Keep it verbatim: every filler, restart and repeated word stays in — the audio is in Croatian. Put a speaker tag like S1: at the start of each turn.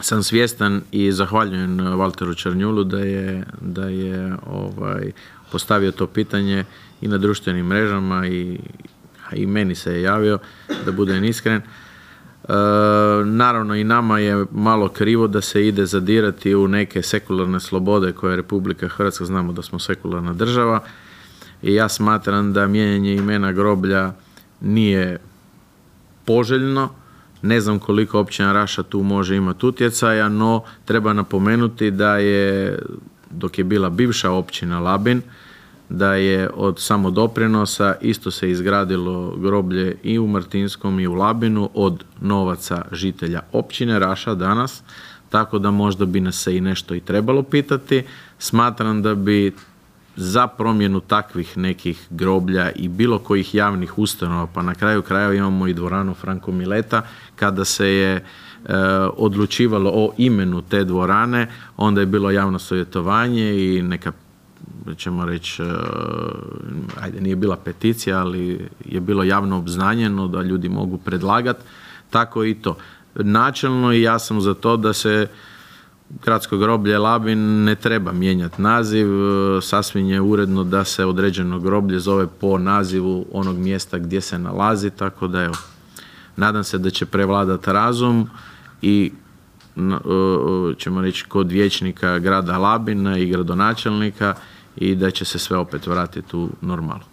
S1: sam svjestan i zahvaljujem Valteru Černjulu da je, da je ovaj, postavio to pitanje i na društvenim mrežama i, i meni se je javio, da budem iskren. E, naravno i nama je malo krivo da se ide zadirati u neke sekularne slobode koje je Republika Hrvatska, znamo da smo sekularna država, i ja smatram da mijenjanje imena groblja nije poželjno. Ne znam koliko općina Raša tu može imati utjecaja, no treba napomenuti da je, dok je bila bivša općina Labin, da je od samodoprinosa isto se izgradilo groblje i u Martinskom i u Labinu od novaca žitelja općine Raša danas, tako da možda bi nas se i nešto i trebalo pitati. Smatram da bi za promjenu takvih nekih groblja i bilo kojih javnih ustanova, pa na kraju krajeva imamo i dvoranu Franko Mileta, kada se je e, odlučivalo o imenu te dvorane, onda je bilo javno savjetovanje i neka, ćemo reći, ajde, nije bila peticija, ali je bilo javno obznanjeno da ljudi mogu predlagati, tako i to. Načelno i ja sam za to da se gradsko groblje Labin ne treba mijenjati naziv, sasvim je uredno da se određeno groblje zove po nazivu onog mjesta gdje se nalazi, tako da evo, nadam se da će prevladati razum i ćemo reći kod vijećnika grada Labina i gradonačelnika i da će se sve opet vratiti u normalu.